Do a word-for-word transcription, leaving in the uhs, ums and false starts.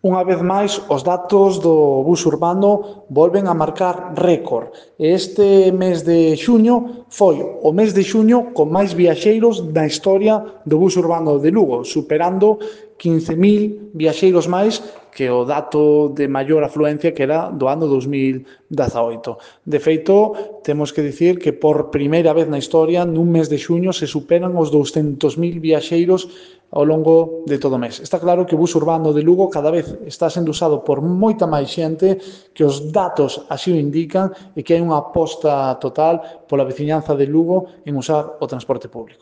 Unha vez máis, os datos do bus urbano volven a marcar récord. Este mes de xuño foi o mes de xuño con máis viaxeiros da historia do bus urbano de Lugo, superando quince mil viaxeiros máis que o dato de maior afluencia que era do ano dos mil dezaoito. De feito, temos que dicir que por primeira vez na historia, nun mes de xuño, se superan os douscentos mil viaxeiros ao longo de todo o mes. Está claro que o bus urbano de Lugo cada vez está sendo usado por moita máis xente, que os datos así o indican e que hai unha aposta total pola veciñanza de Lugo en usar o transporte público.